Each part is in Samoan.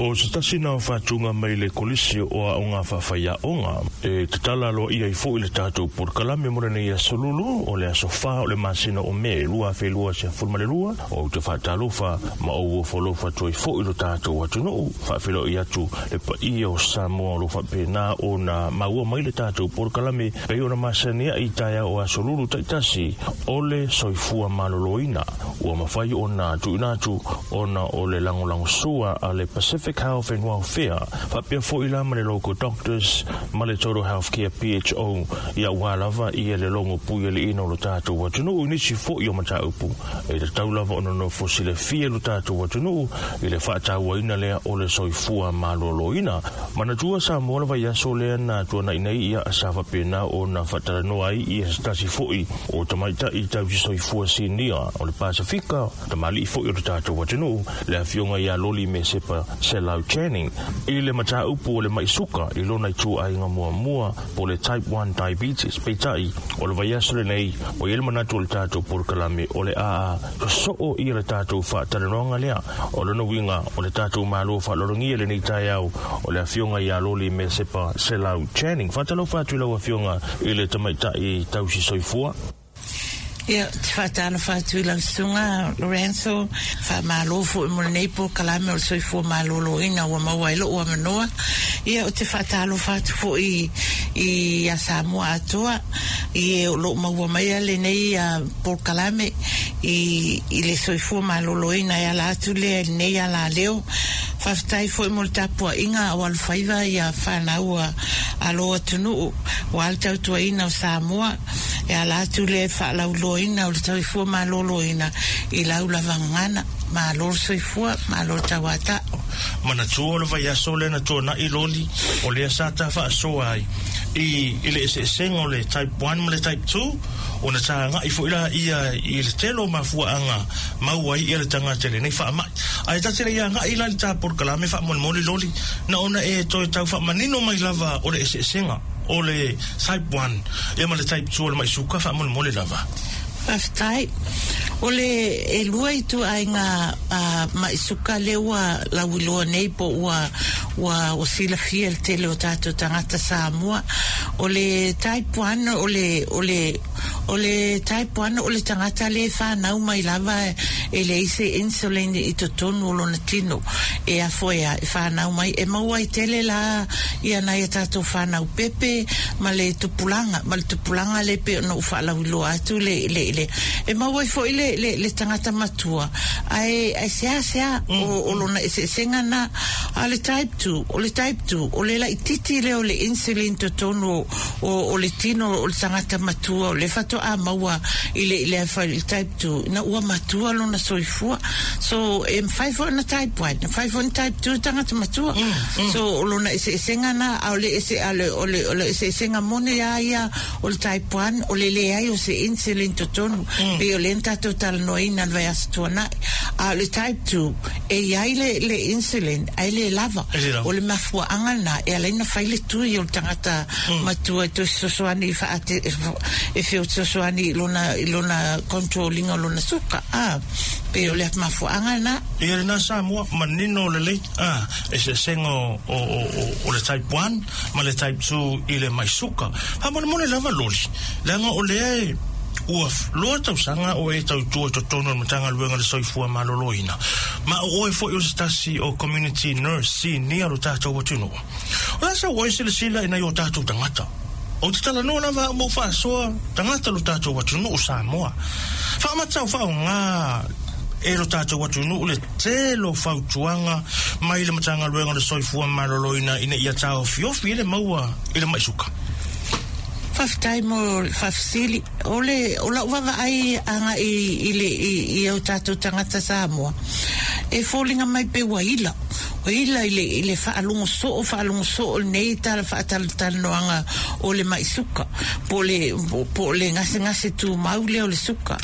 O se tasi na o faatuga mai le Kolisi o Aoga Faafaiaoga e tatala aloaia ai foi le tatou polokalame mo lenei aso Lulu, o le aso 4 o le masina o Me 2022. Ou te faatalofa ma ou ofoalofa atu ai foi lo tatou atunuu, faafeiloai atu le paia o Samoa o lo o faapena ona maua mai le tatou polokalame pei ona masani ai i taeao o aso Lulu taitasi o le soifua maloloina ua mafai ona tuuina atu ona o le lagolagosua a le Pacific Health and Welfare faapea foi la ma le Local Doctors ma le Total Health Care PHO ia aua lava ia le logo puialiiina o lo tatou atunuu i nisi foi o mataupu e tatau lava ona nofo silafia lo tatou atunuu i le faatauaina lea o le soifua maloloina. Manatua Samoa le vaiaso lea na tuanai nei ia sa faapena ona faatalanoa ai ia se tasi foi o tamaitai tausi soifua sinia o le Pasefika, tamalii foi o le tatou atunuu, le afioga ia Loli Mesepa Selau Channing, i le mataupu o le mai suka i lona ituaiga muamua po o le Type 1 Diabetes. Peitai, o le vaiaso lenei, ua i ai le manatu o le tatou polokalame o le a sosoo ia le tatou faatalanoaga lea. O lona uiga, o le tatou Malo faaaloalogia i lenei taeao, o le afioga ia Loli Mesepa Selau Channing. Faatalofa atu i lau afioga i le tamaitai tausi soifua. Ia, ou te faatalofa atu i lau susuga Lorenzo, faamalo foi mo lenei polokalame o le soifua maloloina ua maua ai lou avanoa. Ia, ou te faatalofa atu foi i a Samoa atoa, i e o lo o maua maia lenei polokalame i i le soifua maloloina e ala atu lea i lenei alaleo. Faafetai foi mo le tapuaiga o alofaiva ia fanau a lou atunuu aua le tautuaina o Samoa. E ala atu lea i faalauiloaina o le soifua maloloina i lau lava gagana. Malo le soifua, malo le tauatao. Manatua o le vaiaso lea na tuanai loli o lea sa ta faasoa ai i i le eseesega o le type 1 ma le type 2 ona sa agai foi la ia i le tele o mafuaaga maua ai ia le tagata i lenei faamai. Ae ta te le i agai la i le ta polokalame faamolemole loli na ona e toe tau faamanino mai lava o le eseesega o le type 1 ia ma le type 2 o le mai suka faamolemole lava. Faafetai. O le ʻelua ituaiga maʻi suka lea ua lauiloa nei po ua ua ua silafia e le tele o tatou tagata Samoa. O le type 1 o le o le o le type 1 o le tagata lea e fanau mai lava e leai se insulin i totonu o lona tino e afo e a e fanau mai e maua ai tele la ia nai a tatou fanau pepe ma le tupulaga ma le tupulaga lea pei ona ou faalauiloa atu le le le e maua ai foi le le le tagata matua ae ae seasea o o lona eseesega na. A o le type 2 o le type 2 o le laititi lea o le insulin totonu o o o le tino o le tagata matua o lea faatoa maua i le i le i le type 2 ina ua matua lona soifua. So e mafai foi ona type 1 e mafai foi ona type 2 tagata matua. So o lona eseesega na a o le ese a le o le o le eseesega moni a ia o le type 1 o le leai o se insulin totonu pei o lea na tatou talanoaina i le vaiaso tuanai. A o le type 2 e i ai le le insulin ae le lava. E le lava. O le mafuaaga lena e ala ai ona fai le tui o le tagata matua e toe fesoasoani i faate e fesoasoani i lona i lona control ina o lona suka a pei o le mafuaaga lena. Ia lena Samoa, manino lelei a eseesega o o o o le type 1 ma le type 2 i le mai suka. Faamolemole lava loli, leaga o lea e ua loa tausaga o e tautua i totonu o le Matagaluega o le Soifua Maloloina, ma o oe foi o se tasi o community nurse sinia o lo tatou atunuu. O le a sau oe silasila i nai o tatou tagata? Ou te talanoa lava au ma ou faasoa tagata o lo tatou atunuu Samoa. Faamatau faaaoga e lo tatou atunuu le tele o fautuaga mai le Matagaluega o le Soifua Maloloina ina ia taofiofi ai le maua i le mai suka. Faafetai mo le faafesili. O le, o lau vaavaai agai i le, i, i o tatou tagata Samoa, e foliga mai pei ua ila. Ua ila i le, i le faalogo soo, faalogo soo lenei tala faatalatalanoaga o le mai suka, po o le, po o le gasegase tumau lea o le suka.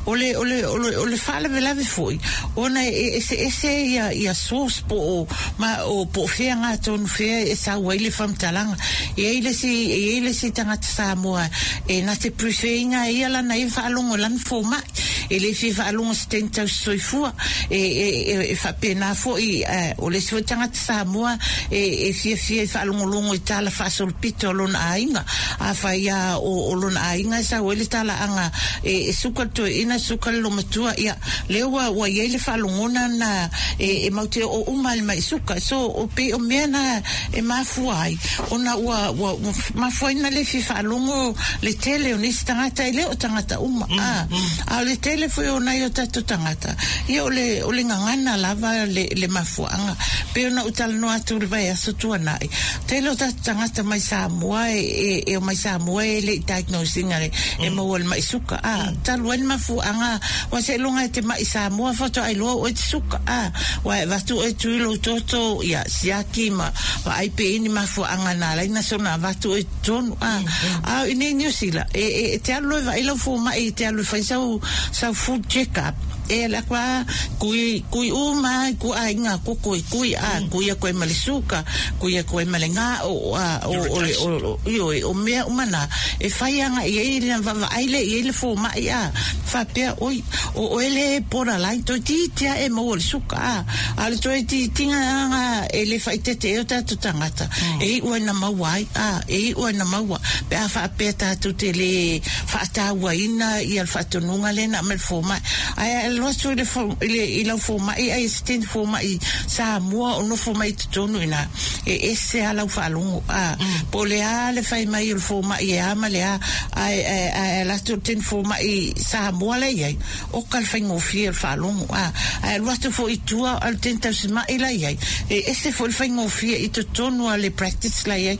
O le, o le, o le, o le faalavelave foi, ona e eseese ia, ia source po o, ma, o, po o fea gatonu fea e sau ai le faamatalaga. E i ai le isi, e i ai le isi tagata Samoa e na te prefer ina e ia lana ia faalogo i lana fomai. e le fia faalogo i se teine tausisoifua e, e, e, e faapena foi, o le isi foi tagata Samoa e, e fiafia i faalogologo i tala faasolopito a lona aiga. Afai lava o, o lona aiga e sau ai le talaaga e, e suka le toeaina, suka le lomatua, ia, lea ua, ua i ai le faalogona na e, e mau te oo uma i le mai suka. So, o pei o mea na e mafua ai, ona ua, ua, ua mafua ai na le fia faalogo le tele o nisi tagata, e le o tagata uma, a, a o le tele foi o nai o tatou tagata, ia o le, o le gagana lava le, le mafuaaga. Pei ona ou talanoa atu i le vaiaso tuanai, tele o tatou tagata mai Samoa e, e, e omai Samoa e le i diagnose ina e, e maua i le mai suka, a, talu ai le mafuaaga, ua seiloga e te mai Samoa faatoa iloa oe te suka, a, ua e avatu oe tui lou toto, ia, siaki ma vaai pe i ai ni mafuaaga na ala ai na soona avatu oe i totonu, a, a o i nei Niu Sila, e, e, e te alu loa e vaai lau fomai e te alu e fai sau, sau full check up, e ala aku a, kui, kui uma i ku aiga koko e kui, a, kui aku ai ma le suka, kui aku ai ma le gao, a, o, o, le, o, o, ioe, o mea uma na, e fai agai ai na vaavaai lea i ai le fomai, a, faapea, oi, o oe le borderline, toeitiiti lava e maua i le suka, a, a o le toeitiitiga lava e le faaeteete ai o tatou tagata, e iu ai na maua ai, a, e iu ai na maua, pe a faapea tatou te le faatauaina ia le faatonuga lea na aumai e le fomai. Ae a e alu atu i le, i le, i lau fomai, ai e se teine fomai Samoa o nofo mai i totonu i ina, e ese lava lau faalogo, a, po o le a le fai mai o le fomai e a ma le a, ae, ae, ae alu atu le teine fomai Samoa la e i ai, oka le faigofie o le faalogo, a, ae alu atu foi i tua a o le teine tausima'i la e i ai, e ese foi le faigofie i totonu lava o le practice la e i ai,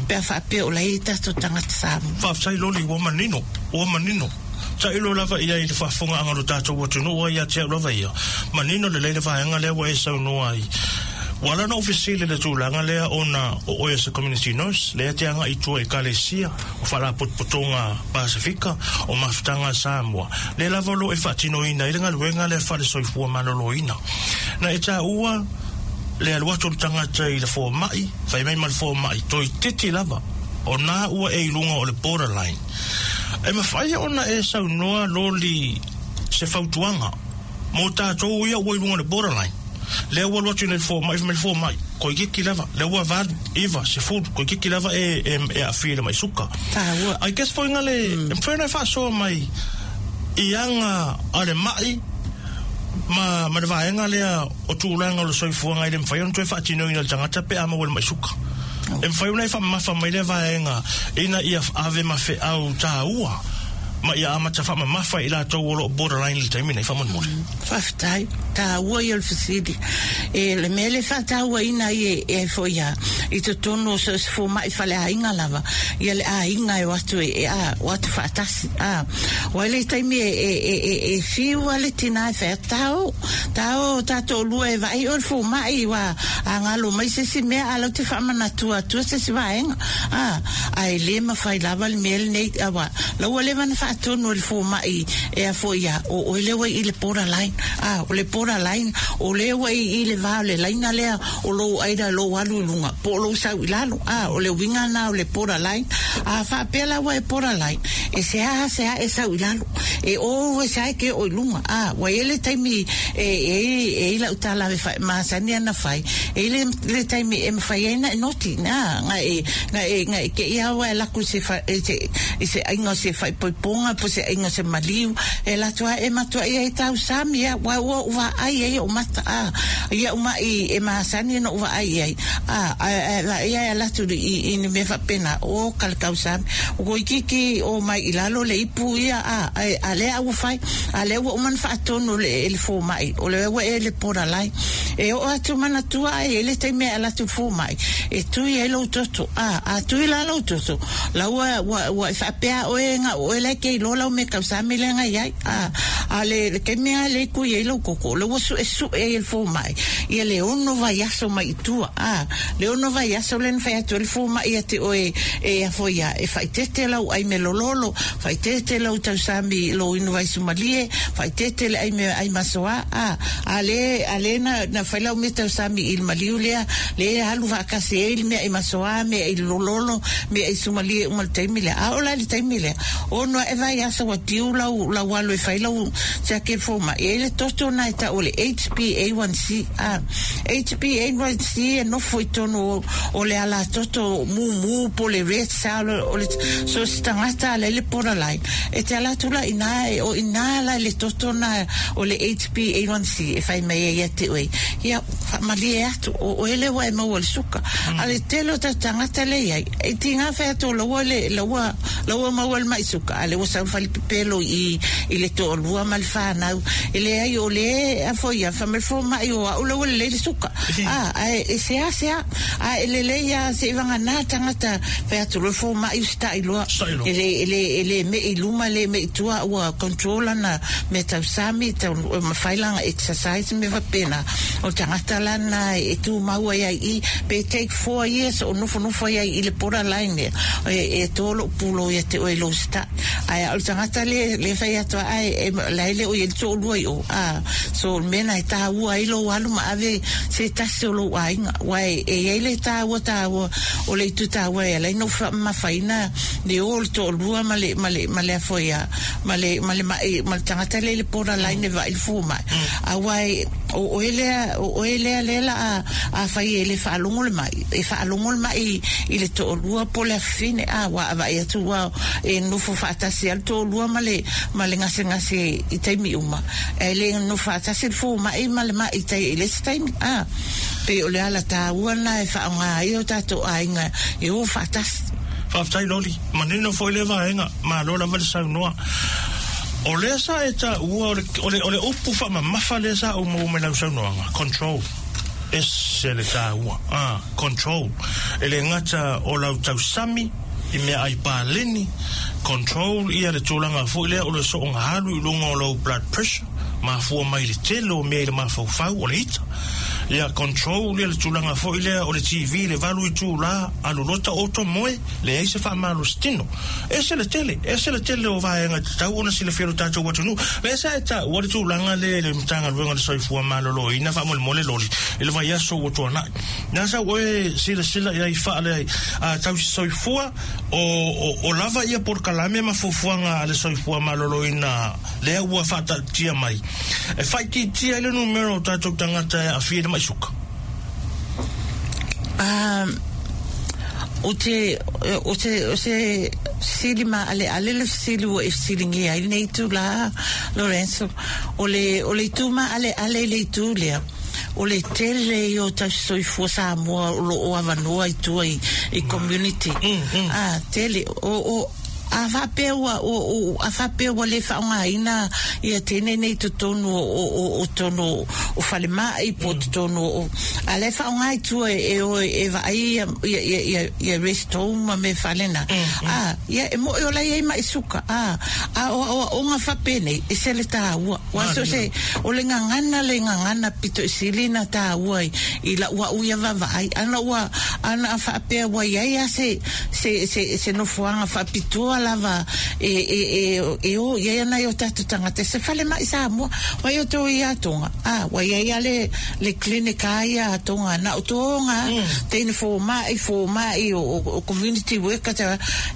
pe a faapea o la e i ai tatou tagata Samoa. Faafetai Loli, ua manino, ua manino. Tailo lava i ai i le faafofogaaga o lo tatou atunuu a ia te au lava ia, manino lelei le vaega lea ua e saunoa ai. Ua ala ona ou fesili i le tulaga lea ona o oe o se community nurse, lea e te agai i tua i Ekalesia, o Faalapotopotoga Pasefika, o Mafutaga a Samoa, lea lava o lo o e faatinoina ai le galuega lea faale-soifua maloloina. Na e taua le alu atu o le tagata i le fomai, fai mai ma le fomai, toeitiiti lava, o na ua e i luga o le borderline. E mafai ona e saunoa Loli se fautuaga mo tatou ia ua i luga o le borderline, lea ua alu atu i le fomai, fai mai le fomai, toeitiiti lava, lea ua valu, iva, sefulu, toeitiiti lava e, e, e aafia i le mai suka. Taua. I guess foi na le, e mafai ona e faasoa mai i aga a le mai ma, ma le vaega lea o tulaga o le soifuaga e le mafai ona toe faatinoina e le tagata pe a maua i le mai suka. E mafai ona e faamamafa mai lea vaega ina ia ave ma feau taua ma ia amata faamamafa i latou o lo o borderline i le taimi nei faamolemole. Faafetai. Taua ia o le fesili. E, le mea lea e faatauaina ai e, e ai foi a, i totonu o so o se fomai faleaiga lava, ia le aiga e o atu e, e a, o atu faatasi. A, ua i le taimi e, e, e, e, e fiu lava le tina e fai atu, Tao, tao tatou lua e vaai oe i le fomai, ua a galo mai se isi mea, a lau te faamanatua atua se isi vaega. A, ae le mafai lava le mea lenei, aua, la ua leva ona faatonu e le fomai e a foi ia, o oe lea ua i i le borderline. A, o le borderline, o lea ua i i le va o le laina lea o lou either lou alu i luga po o lou sau i lalo. A, o le uiga lena o le borderline. A faapea la ua e borderline, e seasea e sau i lalo. E o e sae ke oo i luga. A, ua i ai le taimi e, e, e i lau tala e whai, masani ana whai, e i le, le taimi e mawhai ai na e noti, na, nga e, nga e, nga e ke ia awa e laku se wha, e se, i se ainga o se whai poiponga, po se ainga o se maliu, e latu a e matua ia e tau sami ia, ua ua ua ai ai o mata, a, ia uma i e masani no ua ai ai, a, a, a, a, ia e latu i, i ni mea whapena, o kalakau sami, o ko ikeike o mai i lalo le ipu ia, a, a, a lea ua fai, a lea ua uma ona faatonu le, e le fomai, o lea ua e le borderline. E oo atu manatua ai e le taimi e ala atu i le fomai, e tui ai lou toto, a, a tui la lou toto, la ua, ua, ua e faapea oe ga oe la e ke iloa lau mea tausami lea na i ai, a, a le, le taimi lava lea e tui ai lou toto, o lea ua suesue ai e le fomai, ia le ono vaiaso mai i tua, a, le ono vaiaso lea na fai atu ai le fomai ia te oe e a foi ia, e faaeteete lau ai me lololo, faaeteete lau tausami i lou inu vaisumalie, faaeteete le ai me ai masoa, a, a le, a le na, na fai lau mea tausami i le maliu lea, lea e alu faatasi ai le meaai masoa, meaai lololo, meaai sumalie uma i le taimi lea. A oo la i le taimi lea, ono ae vaiaso ua tiu lau, lau alu e fai lau siaki i le fomai, e i ai le toto lena e tau o le HbA1c, a. HbA1c e nofo i totonu o, o le alatoto mumu po o le red cell o le, so se tagata a la i le borderline, e te ala atu la i ina, e o i ina la i le toto lena o le HbA1c e fai mai ai ia te oe, ia, faamalie atu, o oe lea ua e maua i le suka. A le tele o tatou tagata lea e i ai, e tiga fai atu o laua le, laua, laua maua i le mai suka, a o lea ua sau le falepepelo i i le toalua ma le fanau. E leai, o lea e foi ia, fai mai le fomai o au lea ua lelei le suka. A, ae e seasea, a e lelei lava seivagana tagata, fai atu loa le fomai usitai loa, e le, e le, e le mei i luma, e le mei i tua, ua control lana mea tausami, tau, ma fai lana exercise ma mea faapena. O le tagata la lena e tumau ai ai i i, pe take four years o nofonofo ai ai i le borderline lea, e, e to lou pulou ia te oe i lou usitai. Ae a o le tagata le, le fai atu a, ae, e, la e le o i ai le toalua i o, a, so o le mea lena e taua ai lou alu ma ave se tasi o lou aiga, aua e, e i ai le taua taua o le itu taua e ala ai ona ou faamamafaina le o o le toalua ma le, ma le, ma le a foi a, ma le, ma le maʻi, ma le tagata lea i le borderline e vaai i le fomai. Aua e, o oe lea, o oe lea lea la a, afai e le faalogo le maʻi, e faalogo le maʻi i le toalua po o le afafine, a, ua vaai atu ua e nofo faatasi lava le toalua ma le, ma le gasegase i taimi uma, ae le nofo faatasi le fomai ma le maʻi i tai i le isi taimi, a. Pei o le ala taua lena e faaaoga ai o tatou aiga e o faatasi. Faafetai Loli, manino foi lea vaega, malo lava le saunoa. O lea sa e taua o le, o le, o le upu faamamafa lea sa ou maua mai lau saunoaga, control. Ese le taua, a, control. E le gata o lau tausami i meaai paleni, control ia le tulaga foi lea o le soonga alu i luga o lou blood pressure, mafua mai i le tele o mea i le mafaufau, o le ita. Ia control ia le tulaga foi lea o le TV i le valu itula, alu loa taoto moe, leai se faamalositino. Ese le tele, ese le tele o vaega e tatau ona silafia e lo tatou atunuu. Lea sa e taua le tulaga lea i le Matagaluega o le Soifua Maloloina faamolemole loli i le vaiaso ua tuanai. Na sau oe silasila i ai faale tausi soifua o, o, o lava ia polokalame ma fuafuaga a le Soifua Maloloina lea ua faataatia mai e faaitiitia ai le numera o tatou tagata e aafia i le mai suka. O te, o te, o se fesili maaleale le fesili ua e fesiligia ai lenei itulā, Lorenzo. O le, o le itu maaleale i le itu lea, o le tele ia o tausisoifua Samoa o lo o avanoa i tua i, i community. A, tele, o, o, A faapea ua, a faapea ua le faaaogaina ia teine nei i totonu o, o totonu o falemai po o totonu o, a la e faaaoga i tua e o e vaai ia, ia, ia, ia, ia rest home ma mea faalena. A, ia e moʻi o la e i ai maʻi suka, a, a o aoaoga faapenei, ese le taua. Ua so se, o le gagana le gagana pito i sili na taua i, i lau au ia vaavaai. Ana ua, ana a faapea ua i ai a se, se, se, se nofoaga faapitoa lava e, e, e, e o i ai ana i o tatou tagata, se falemai Samoa. Ua i o tō ia tonga, a, ua i ai a le, le clinic a ia a tonga, na o tō ngā, teine fōmai, fōmai, o, o, o community worker, te,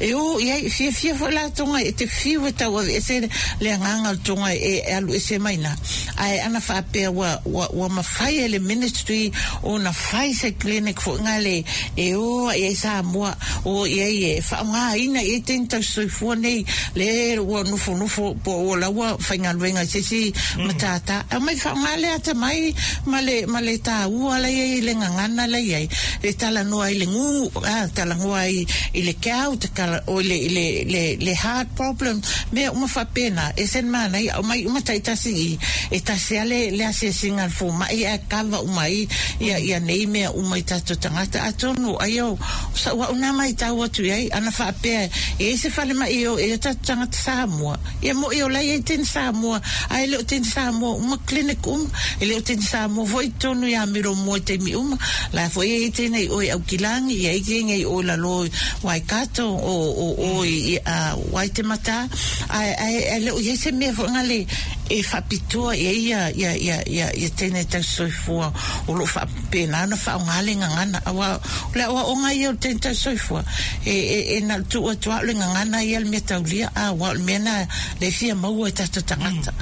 e o i ai, fiafia foi la tonga e te whiu e tau ese le agaga o le tonga e, e alu ese mai na. Ae ana faapea ua, ua, ua mafai e le ministry ona fai se clinic foi ngā le e o ai ai Samoa, o i ai e faaaogaina i ai teine tausisoifua nei le ua nofonofo po ua laua faigaluega i se isi matata. Aumai faaaoga le atamai ma le, ma le taua la i ai i le gagana la i ai, e talanoa ai i le gū, a, talanoa ai i le gout, tala, o i le, i le, le, le heart problem, mea uma faapena, ese le manaia, aumai uma taitasi i i, e tasi lava le, le asiasiga a le fomai ae kava uma ai ia, ia nei mea uma i tatou tagata. Atonu, aia o, o sa'u a'u na maitau atu i ai, ana faapea e i ai se falemai e o i ai o tatou tagata Samoa, ia mo'i o la e i ai teine Samoa, ae le o teine Samoa uma clinic uma, e le o teine Samoa foi i totonu i Amiro mua i taimi uma, la foi e i ai teine i o i Aukilagi, i ai teine i o i lalo i Waikato, o, o, o i, a, Waitematā, ae, ae, ae le o i ai se mea foi ngale. e faapitoa i ai ia ia ia ia ia teine tausisoifua o lo o faapena ona faaaoga le gagana. Aua o le aoaoga ia o le teine tausisoifua, e e e na o le tuu atu lava o le gagana ia le mea taulia, a aua o le mea lena lea e fia maua e tatou tagata.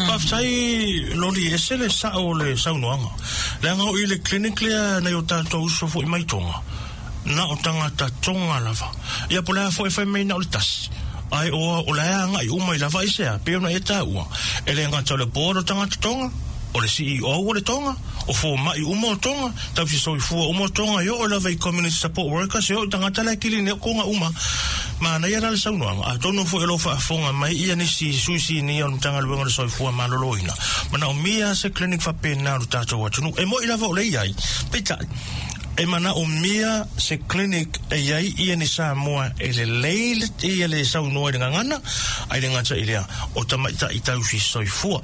Faafetai Loli, e ese le sao o le saunoaga. Leaga o i le clinic lea nai o tatou uso foi mai Tonga, na o tagata Tonga lava. Ia po o le a foi e fai mai na o le tasi, ae o o la e agai uma i lava aisea, pei ona e taua, e le gata o le board o tagata Tonga, o le CEO o le Tonga, o fomai uma o Tonga, tausi soifua uma o Tonga, e oo lava i community support workers, e oo i tagata la e kili nei o Tonga uma. Manaia la le saunoaga, atonu foi o lo o faafofoga mai ia nisi sui sinia o le Matagaluega o le Soifua Maloloina, manaomia se clinic faapena o le tatou atunuu. E moi lava o lea e i ai, peitai, e manaomia se clinic e i ai ia ni Samoa e lelei le, ia le saunoa i le gagana, ae le gata i lea, o tamaitai tausi soifua.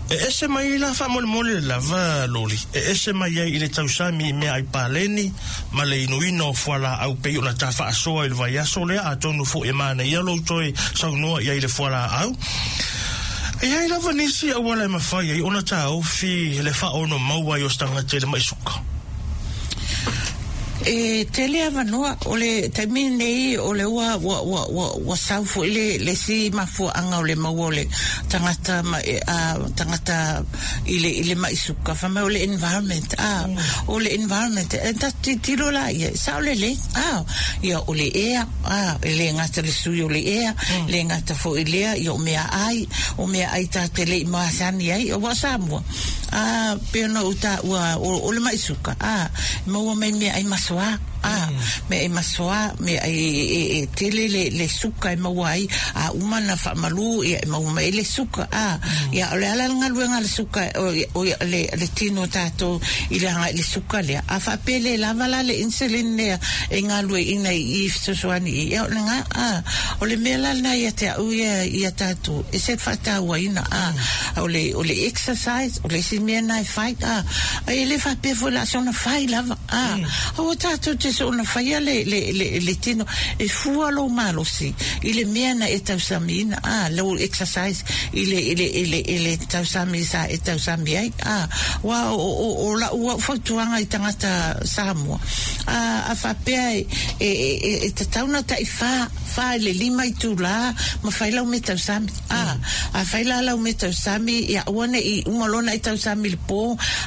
E ese mai ai la faamolemole lava Loli, e ese mai ai i le tausami i meaai paleni ma le inuina o fualaau pei ona ta faasoa i le vaiaso lea, atonu foi e manaia lou toe saunoa i ai i le fualaau. E i ai lava nisi auala e mafai ai ona taofi le faaono maua ai o se tagata i le mai suka. E tele avanoa, o le taimi lenei o le ua ua ua ua ua sau foi le le isi mafuaaga o le maua o le tagata ma e a tagata i le i le mai suka fai mai o le environment a o le environment e tatou tilotilo la ia e sao lelei a ia o le ea a e le gata le sui o le ea le gata foi lea ia o meaai o meaai tatou te le i masani ai aua o Samoa A, pei ona ou taua, o, o le maʻi suka, a, e maua mai meaai masoa, a, meaai masoa, meaai e, e, e tele le, le suka e maua ai, a uma ona faamalu, ia, e maua mai ai le suka, a. Ia, o le a la le galuega a le suka, o, o le, le tino o tatou i le agai i le suka lea, a faapea e le lava la le insulin lea e galueaiina i i fesoasoani i, ia, o lena, a. O le mea la lena ia te au ia, ia tatou, e se faatauaina, a. O le, o le exercise, o le isi mea na e fai, a, e le faapea foi la soona fai lava, a, aua tatou te soona faia le, le, le, le tino, e fua lou malosi i le mea na e tausamiina, a, lou exercise i le, i le, i le, i le tausami sa e tausami ai, a, aua o, o, o lau au fautuaga i tagata Samoa, a, a faapea e, e, e, e tatau ona tai fa, fa i le lima itulā ma fai lau mea tausami. A, a fai la lau mea tausami, ia aua ne i uma loa ona e tausami i le pō,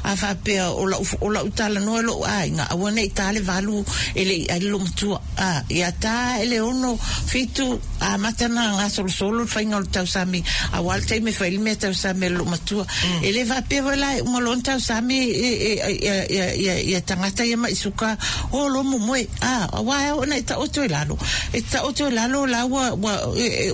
a faapea o lau, o lau talanoa i lou aiga, aua ne i tā le valu e le i ai le loomatua. A, ia tā ae le ono, fitu, amata ona gasolosolo le faiga o le tausami, aua le taimi e fai ai le mea tausami a le loomatua. E le faapea foi la e uma loa ona tausami e, e, ia, ia, ia, ia tagata ia maʻi suka, o loa momoe, a, aua e ao ona e taoto i lalo. E taoto i lalo la ua, ua,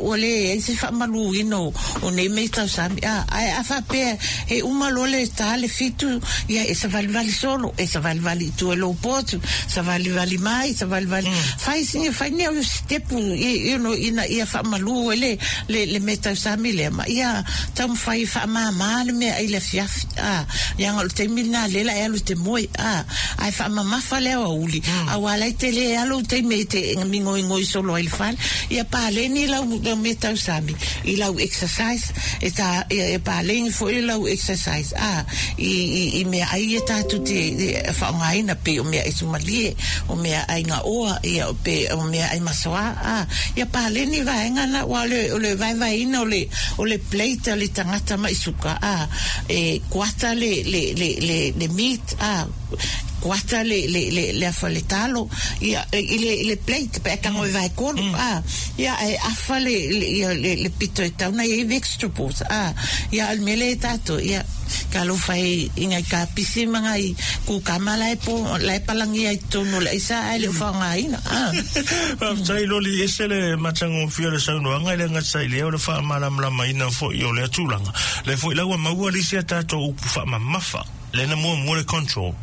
ua leai se faamaluina o, o nei mea i tausami. A, ae a faapea e uma loa le ta le fitu, ia e savalivali solo, e savalivali i tua i lou potu, savalivali mai, savalivali. Fai sina, fai ni au sitepu, you know, ina ia faamalu ai le, le, le mea tausami lea, ma ia taumafai e faamāmā le meaai i le afiafi. A, leaga o le taimi lena lea la e alu i te moe, a, ae faamamafa le aoauli, aua la e tele lava lou taimi e te migoigoi solo ai i le fale. Ia paleni lau, lau mea tausami i lau exercise, e tā, ia, e paleni foi lau exercise, a, i, i, i meaai ia tatou te e faaaogaina, pei o meaai sumalie, o meaai gaoa, ia, pe o meaai masoa, a, ia paleni vaega na, aua o le, o le vaevaeina o le, o le plate a le tagata maʻi suka, a, e kuata le, le, le, le, le meat, a, kuata le, le, le, le afa le talo, ia, i le, i le plate, pe a tago e vaetolu, a, ia, ae afa le, le, ia, le, le pito e tatau ona i ai vegetables, a, ia, a o le mea lea e tatou, ia, talofa e i ngai kapisi ma ngai kukama la e po, la e palagia i totonu o le aisa ae le o faaaogaina, a. Faafetai Loli, ese le matagofie o le saunoaga, e le gata i lea o le faamalamalamaina foi o lea tulaga. Lea foi la ua maua le isi a tatou upu faamamafa, lea na muamua le control,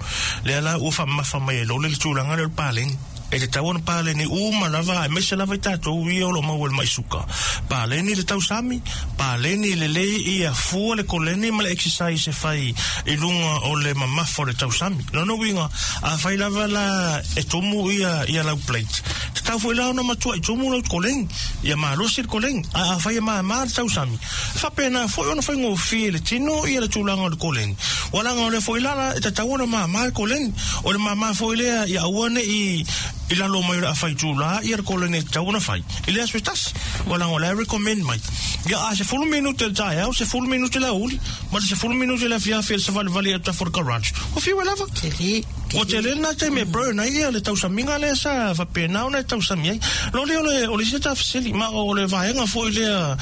lea la ua faamamafa mai e Loli le tulaga lea o le paleni. E tatau ona paleni uma lava aemaise lava i tatou ia o lo o maua i le mai suka. Paleni le tausami, paleni lelei ia fua le koleni ma le exercise e fai i luga o le mamafa o le tausami. Lona uiga, afai lava la e tumu ia ia lau plate, tatau foi la ona matuai tumu lau koleni, ia malosi le koleni. Ae afai e mama le tausami, e faapena foi ona faigofie i le tino ia le tulaga o le koleni. Ua laga o lea foi la e tatau ona mama le koleni. O le mama foi lea ia aua ne i i lalo mai o le afa itula ia le koleni e tatau ona fai i le aso e tasi. Ua laga o la e recommend mai. Ia a 10 minute le taeao, 10 minute le aoauli, ma le 10 minute le afiafi e le savalivali atu afu o le garage. Ua fiu e lava. Tele. Ua tele lena taimi e burn ai ia le tausamiga lea sa faapena ona e tausami ai. Loli o le, o le isi ta fesili, ma o le vaega foi lea,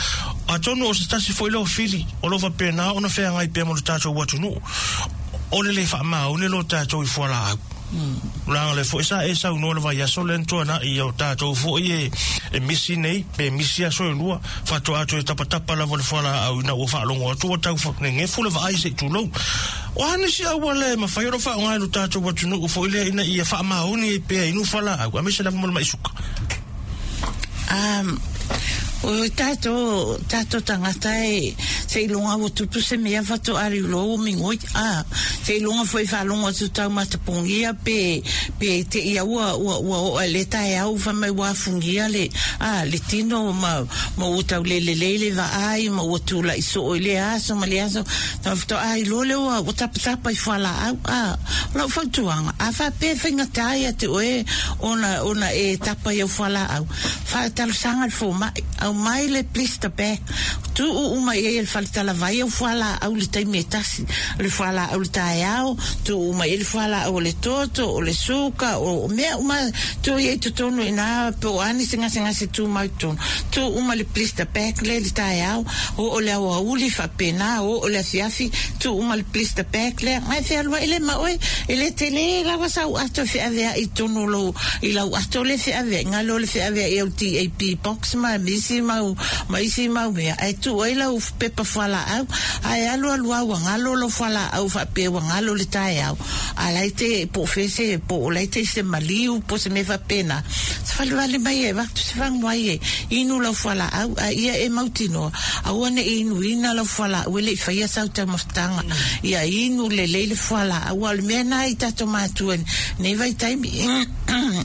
atonu o se tasi foi lea o fili, o lo o faapena ona feagai pea mo le tatou atunuu, o le le faamaoni lo tatou i fualaau. Leaga o lea foi sa e saunoa i le vaiaso lea na tuanai, ia o tatou foi e, e misi nei, pe misi aso e lua, faatoa toe tapatapa lava le fualaau ina ua faalogo atu ua tau nenefu le vaai se i tulou. O a nisi auala e mafai ona faaaoga e lo tatou atunuu foi lea ina ia faamaoni ai pea inu fualaau, aemaise lava mo le mai suka? O tatou, tatou tagata e, seiloga ua tupu se mea faatoa liuloa ua migoi, a, seiloga foi faalogo atu taumata pogia pe, pe te ia ua, ua, ua oo i le taeao fai mai ua afugia le, a, le tino ma, ma ua tau le lelei le vaai ma ua tulai soo i lea aso ma lea aso, faatoa iloa lea ua, ua tapatapa i fualaau, a, o lau fautuaga, a faapea e faigata ia te oe ona, ona e tapa i au fualaau, faatalosaga i le fomai, aumai le blister bag, tuu uma i ai e le faletalavai au fualaau i le taimi e tasi, o le fualaau i le taeao, tuu uma i ai le fualaau o le toto, o le suka, o mea uma, tuu i ai i totonu i ina, po o a nisi gasegase tumau i totonu, tuu uma le blister bag lea i le taeao, oo i le aoauli, faapena, oo i le afiafi, tuu uma le blister bag lea, ae fealuai lea ma oe, e le tele lava sau ato e feaveai i totonu o lou, i lau ato lea e feaveai, galo le feaveai au DAP box ma isi mau, ma isi mau mea, ae tuu ai lau pepa fualaau, ae alu alu lava ua galo lou fualaau faapea ua galo i le taeao, a la e te, po o fea se, po o la e te i se maliu po o se mea faapena, savalivali mai e avatu se faguai e inu lau fualaau, a ia e mautinoa, aua ne i inuina lau fualaau e le i faia sau taumafataga, ia inu lelei le fualaau. Aua o le mea lena i tatou matua i lenei vaitaimi,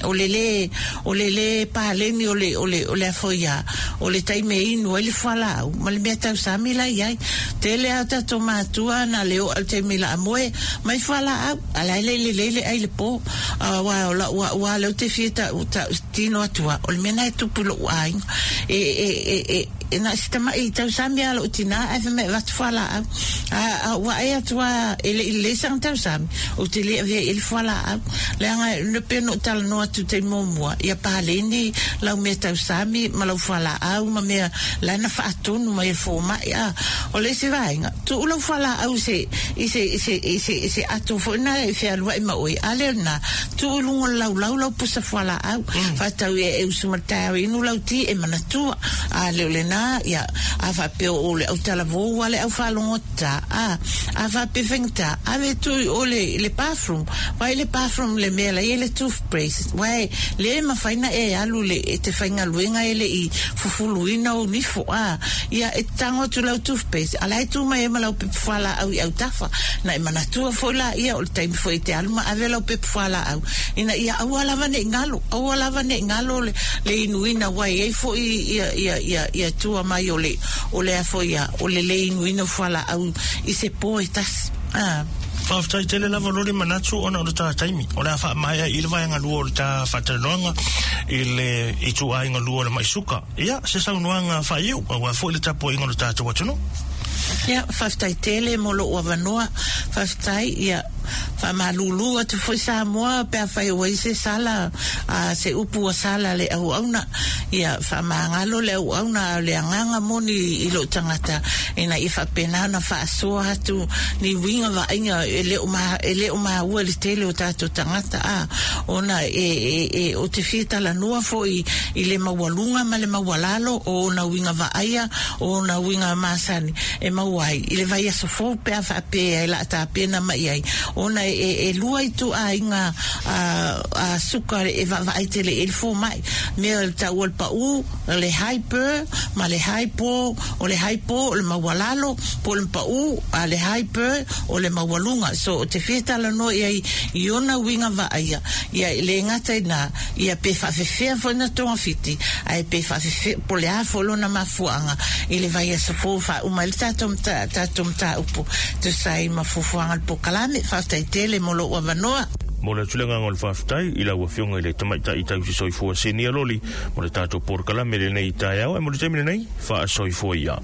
o le lē, o le lē paleni o le, o le, o le a foi a, o le taimi e inu ai le fualaau ma le mea tausami la i ai. Tele lava o tatou matua na le oo i le taimi laamoe mai fualaau, a la e le i lelei le ai i le po. Aua o lau au lava lea ou te fia tau, tau tino atu lava, o le mea lena e tupu i lou aiga. E, e, e, e, e na o si tamaʻi tausami lava lou tinā ae fai mai e avatu fualaau. A, a ou vaai atu lava e le i lelei sana tausami, ou te le avea i ai le fualaau. Leaga e pei ona ou talanoa atu i le taimi muamua, ia paleni lau mea tausami ma lau fualaau ma mea la na faatonu mai e le fomai. A o le isi vaega, tuu lau fualaau i se, i se, i se, i se, i se ato foi lena e fealuai ma oe, a lea o lena, tuu i luga o le laulau lau pusa fualaau, faatau ia e usu ma le taeao e inu lau ti e manatua. A le o lena, ia, a faapea o le autalavou a le aufalogotā, a, a faapea faigata, ave tuu i o le, le bathroom, vaai le bathroom le mea la i ai le toothbrush, uae le mafai na e alu le, e te faigaluega e le i fufuluina ou nifo, a, ia, e tago atu lau toothpaste, a la e tu mai ai ma lau pepa fualaau i autafa, na e manatua foi laia o le taimi foi e te alu ma ave lau pepa fualaau, ina ia aua lava ne i galo, aua lava ne i galo le, le inuina, ua i ai foi ia, ia, ia, ia tua mai o le, o le a foi a, o le le inuina o fualaau i se po e tasi. A. Faafetai tele lava lo le manatu ona o le ta taimi. O le a faamaea i le vaega lua o le ta faatalanoaga i le ituaiga lua o le mai suka. Ia, se saunoaga faaiu, aua foi le tapuaiga o le tatou atunuu. Ia, faafetai tele mo lou avanoa. Faafetai, ia, faamalulu atu foi Samoa pe afai ua i se sala, a, se upu ua sala le auauna. Ia, faamagalo le auauna a o le agaga moni i lou tagata, ina ia faapena ona faasoa atu ni uiga vaaiga e le o ma, e le o maua i le tele o tatou tagata, a, ona e, e, e, ou te fia talanoa foi i le maualuga ma le maualalo o ona uiga vaaia, o ona uiga masani e maua ai i le vaiaso fou pe a faapea e la tapena mai ai. Ona e e lua ituaiga a suka e vaavaai tele i le fomai, mea o le taua o le pa'u, o le hyper ma le hypo. O le hypo o le maualalo po o le pa'u, a le hyper o le maualuga. So o te fia talanoa i ai i ona uiga vaaia ia e le gata i na ia pe faafefea foi na togafiti ae pe faafefea po o le a foi lona mafuaaga i le vaiaso fou faauma ai le tatou tatou mataupu tusa ai ma fuafuaga le polokalame. Faafetai tele mo lou avanoa. Mo le atu le agaga o le faafetai i lau Afioga i le Tamaitai Tausi Soifua Sinia Loli mo le tatou polokalame lenei i taeao e mo le taimi lenei faasoifua ia.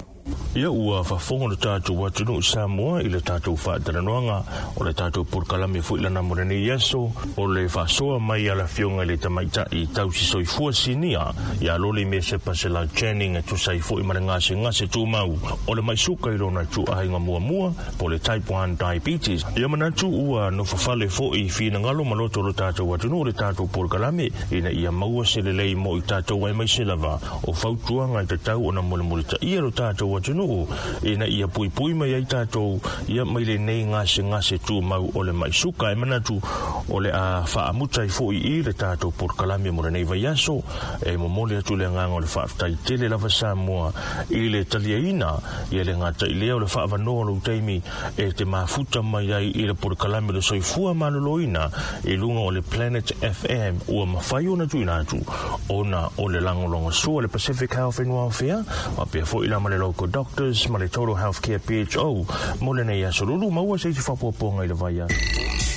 Ia ua faafofoga le tatou atunuu Samoa i le tatou faatalanoaga o le tatou polokalame foi lana mo lenei aso o le faasoa mai a le Afioga i le Tamaitai Tausi Soifua Sinia ia Loli Mesepa Selau Channing e tusa ai foi ma le gasegase tumau o le mai suka i lona ituaiga muamua po le type 1 diabetes. Ia manatu ua nofofale foi i finagalo ma loto o lo tatou atunuu le tatou polokalame ina ia maua se lelei mo i tatou aemaise lava o fautuaga e tatau ona mulimulitaia lo tatou atunuu ina ia puipui mai ai tatou ia mai lenei gasegase tumau o le mai suka. E manatu o le a faamuta ai foi i le tatou polokalame mo lenei vaiaso. E momoli atu le agaga o le faafetai tele lava Samoa i le taliaina ia le gata i lea o le faavanoa o lou taimi e te mafuta mai ai i le polokalame o le soifua maloloina i luga o le Planet FM ua mafai ona tuuina atu ona o le lagolagosua le Pacific Health and Welfare faapea foi la ma le Local Doctors ma le Total Healthcare PHO mo lenei aso lulu maua se isi faapuapuaga i le vaiaso.